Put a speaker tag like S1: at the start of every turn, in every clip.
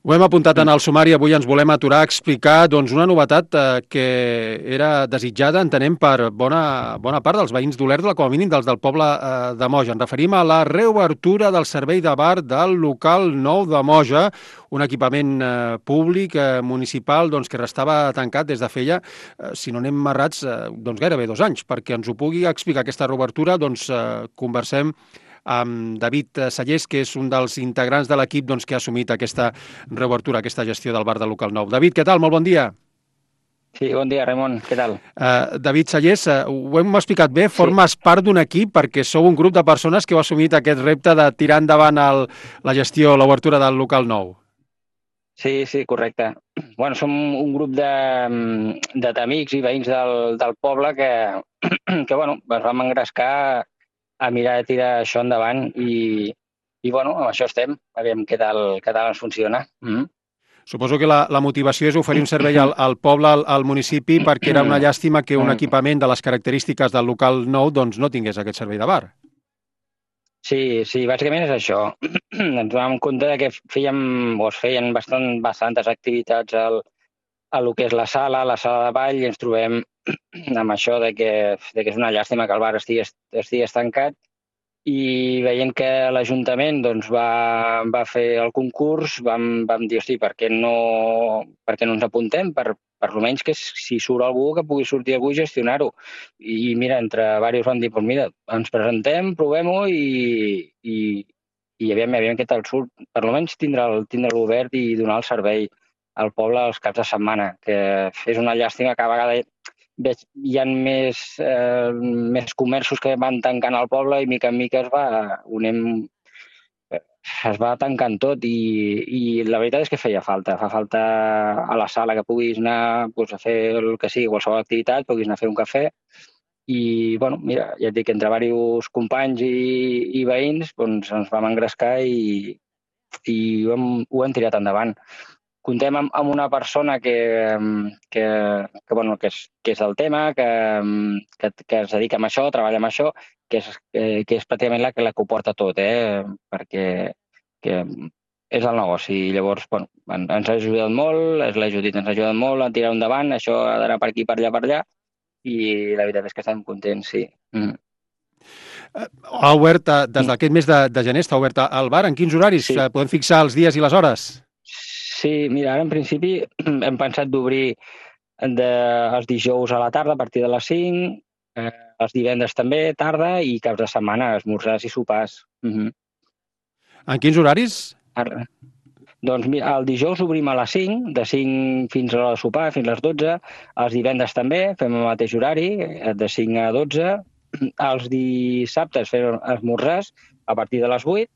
S1: Ho hem apuntat en el sumari, avui ens volem aturar a explicar una novetat que era desitjada, entenem, per bona part dels veïns d'Olèrdola, com a mínim dels del poble de Moja. Ens referim a la reobertura del servei de bar del local nou de Moja, un equipament públic, municipal, que restava tancat des de feia, si no anem errats, gairebé 2 anys. Perquè ens ho pugui explicar aquesta reobertura, conversem amb David Sallés, que és un dels integrants de l'equip que ha assumit aquesta reobertura, aquesta gestió del bar del local nou. David, què tal? Molt bon dia.
S2: Sí, bon dia, Ramon. Què tal?
S1: David Sallés, ho hem explicat bé,
S2: Sí,
S1: formes part d'un equip perquè sou un grup de persones que heu assumit aquest repte de tirar endavant la gestió, l'obertura del local nou.
S2: sí, correcte. Bueno, som un grup d'amics i veïns del poble que bueno, ens vam engrescar a mirar de tirar això endavant i bueno, amb això estem. Aviam què tal ens funciona.
S1: Suposo que la motivació és oferir un servei al poble, al municipi, perquè era una llàstima que un equipament de les característiques del local nou no tingués aquest servei de bar.
S2: Sí, bàsicament és això. Ens vam compte que es feien bastantes activitats a lo que és la sala de ball, i ens trobem amb això de que és una llàstima que el bar estigui tancat, i veient que l'Ajuntament va fer el concurs, vam dir, hosti, per què no ens apuntem? Per almenys que si surt algú, que pugui sortir algú i gestionar-ho. I mira, entre diversos vam dir, doncs mira, ens presentem, provem-ho i aviam què tal surt. Per almenys tindre-lo obert i donar el servei al poble els caps de setmana, que és una llàstima que a vegades hi ha més comerços que van tancant al poble i mica en mica es va tancant tot i la veritat és que fa falta a la sala que puguis anar a fer el que sigui, qualsevol activitat, puguis anar a fer un cafè i, bueno, mira, ja et dic, entre diversos companys i veïns ens vam engrescar i ho hem tirat endavant. Contem amb una persona bueno, que és del tema, que es dedica a això, treballa amb això, que és pràcticament la que ho porta tot, perquè és el negoci. I llavors, bueno, ens ha ajudat molt, la Judit ens ha ajudat molt a tirar endavant, això ha d'anar per aquí, per allà, i la veritat és que estem contents, sí.
S1: Ha obert, des d'aquest mes de gener, està obert el bar. En quins horaris?
S2: Sí.
S1: Podem fixar els dies i les hores?
S2: Sí, mira, ara en principi hem pensat d'obrir els dijous a la tarda a partir de les 5, els divendres també, tarda, i caps de setmana, esmorzars i sopars.
S1: En quins horaris?
S2: Ara. Doncs mira, el dijous obrim a les 5, de 5 fins a l'hora de sopar, fins a les 12. Els divendres també fem el mateix horari, de 5 a 12. Els dissabtes fem esmorzars a partir de les 8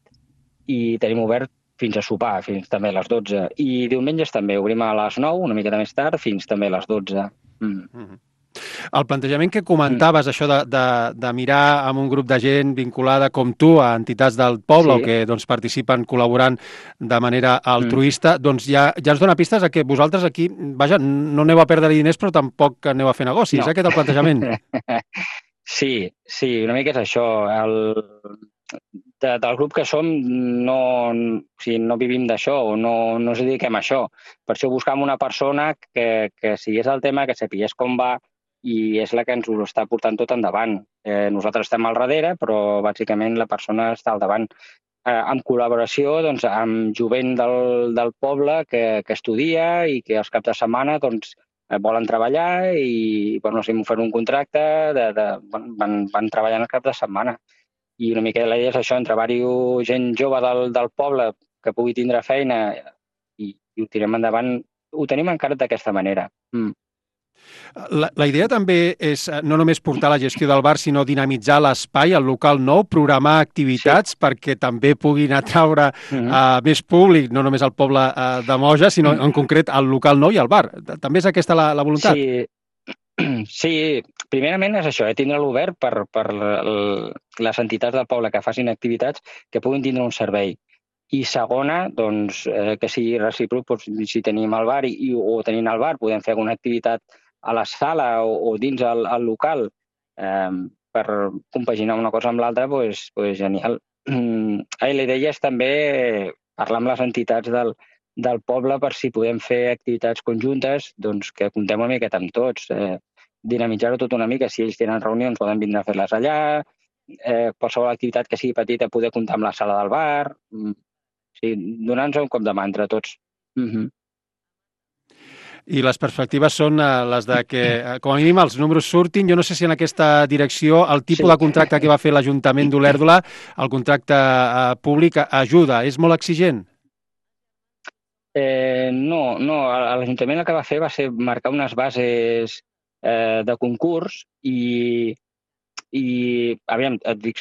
S2: i tenim obert fins a sopar, fins també a les 12. I diumenges també obrim a les 9, una miqueta més tard, fins també a les 12.
S1: El plantejament que comentaves, això de mirar amb un grup de gent vinculada com tu a entitats del poble o que participen col·laborant de manera altruista, ja ens dona pistes a que vosaltres aquí, vaja, no aneu a perdre diners però tampoc aneu a fer negocis,
S2: No.
S1: Aquest és el plantejament.
S2: Sí, una mica és això. Del grup que som no vivim d'això, o no ens dediquem a això. Per això buscam una persona que sigués el tema, que sapigués com va, i és la que ens ho està portant tot endavant. Nosaltres estem al darrere, però bàsicament la persona està al davant. En col·laboració amb jovent del poble que estudia i que els caps de setmana volen treballar i si m'ho fan un contracte, van treballant els caps de setmana. I una mica la idea és això, entre diversos gent jove del poble que pugui tindre feina i ho tirem endavant. Ho tenim encara d'aquesta manera.
S1: La idea també és no només portar la gestió del bar, sinó dinamitzar l'espai, el local nou, programar activitats perquè també puguin atraure més públic, no només al poble de Moja, sinó en concret al local nou i al bar. També és aquesta la voluntat?
S2: Sí, primerament és això, tindre-lo obert per les entitats del poble que facin activitats que puguin tindre un servei. I segona, que sigui recíproc, si tenim el bar o tenint el bar podem fer alguna activitat a la sala o dins el local per compaginar una cosa amb l'altra, doncs genial. La idea és també parlar amb les entitats del poble per si podem fer activitats conjuntes, doncs que comptem una miqueta amb tots, dinamitzar-ho tot una mica. Si ells tenen reunions, poden vindre a fer-les allà, qualsevol activitat que sigui petita, poder comptar amb la sala del bar, donar-nos un cop de mà entre tots.
S1: I les perspectives són les de que, com a mínim, els números surtin. Jo no sé si en aquesta direcció el tipus de contracte que va fer l'Ajuntament d'Olèrdola, el contracte públic, ajuda. És molt exigent?
S2: No. L'Ajuntament el que va fer va ser marcar unes bases de concurs i aviam, t'ho dic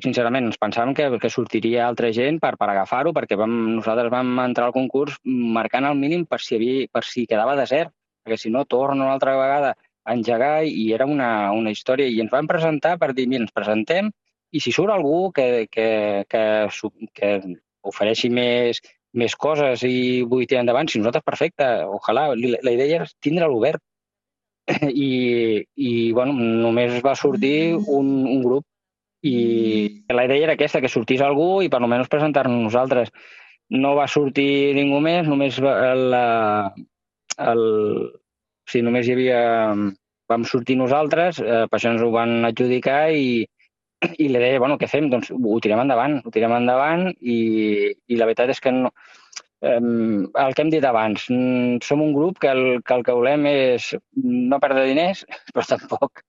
S2: sincerament, ens pensàvem que sortiria altra gent per agafar-ho, perquè nosaltres vam entrar al concurs marcant el mínim per si quedava desert, perquè si no torna una altra vegada a engegar i era una història. I ens vam presentar per dir, mira, ens presentem i si surt algú que ofereixi més coses i vull tirar endavant, si nosaltres, perfecte, ojalà. La idea era tindre-lo obert. I bueno, només va sortir un grup i la idea era aquesta, que sortís algú i per almenys presentar-nos nosaltres. No va sortir ningú més, només només hi havia... Vam sortir nosaltres, per això ens ho van adjudicar i la idea, bueno, què fem? Doncs ho tirem endavant i la veritat és que no... el que hem dit abans, som un grup que el que volem és no perdre diners, però tampoc.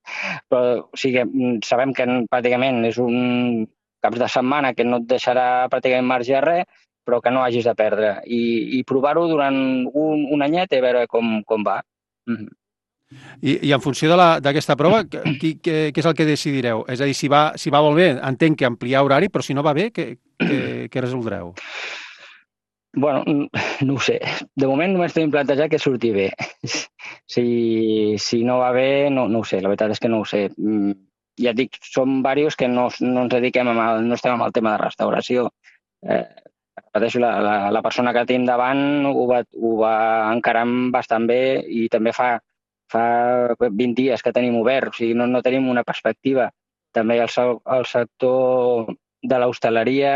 S2: Però, o sigui, sabem que pràcticament és un caps de setmana que no et deixarà pràcticament marge a res, però que no hagis de perdre. I provar-ho durant un anyet i veure com va.
S1: I en funció d'aquesta prova, què és el que decidireu? És a dir, si va molt bé, entenc que ampliar horari, però si no va bé, què resoldreu?
S2: Bueno, no ho sé. De moment només tenim plantejat que surti bé. Si no va bé, no ho sé. La veritat és que no ho sé. Ja et dic, som diversos que no ens dediquem no estem amb el tema de restauració. Repeteixo, la persona que tenim davant ho va encarant bastant bé i també fa 20 dies que tenim obert. O sigui, no tenim una perspectiva. També el sector de l'hostaleria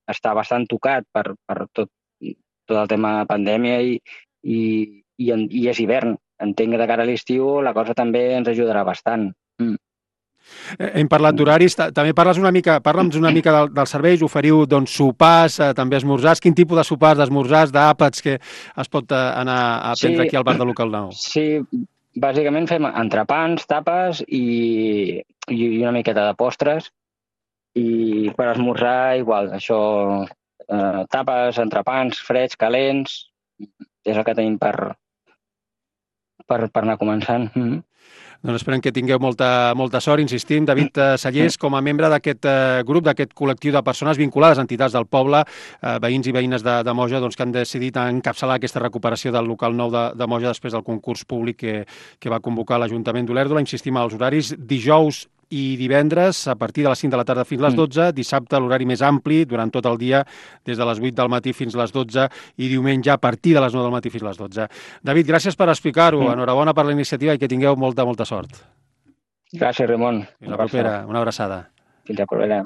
S2: està bastant tocat per tot el tema de pandèmia i és hivern. Entenc que de cara a l'estiu la cosa també ens ajudarà bastant.
S1: Hem parlat d'horaris, també parla'ns una mica dels serveis, oferiu doncs, sopars, també esmorzars. Quin tipus de sopars, d'esmorzars, d'àpats que es pot anar a prendre aquí al bar de Local 9?
S2: Sí, bàsicament fem entrepans, tapes i una miqueta de postres. I per esmorzar, igual, això, tapes, entrepans, freds, calents, és el que tenim per anar començant.
S1: Doncs esperem que tingueu molta sort, insistim. David Sallés, com a membre d'aquest grup, d'aquest col·lectiu de persones vinculades a entitats del poble, veïns i veïnes de Moja, doncs, que han decidit encapçalar aquesta recuperació del local 9 de Moja després del concurs públic que va convocar l'Ajuntament d'Olèrdola. Insistim, als horaris dijous i divendres a partir de les 5 de la tarda fins a les 12, dissabte l'horari més ampli durant tot el dia, des de les 8 del matí fins a les 12 i diumenge a partir de les 9 del matí fins a les 12. David, gràcies per explicar-ho, enhorabona per la iniciativa i que tingueu molta sort.
S2: Gràcies, Ramon.
S1: Fins la propera, una abraçada.
S2: Fins la propera.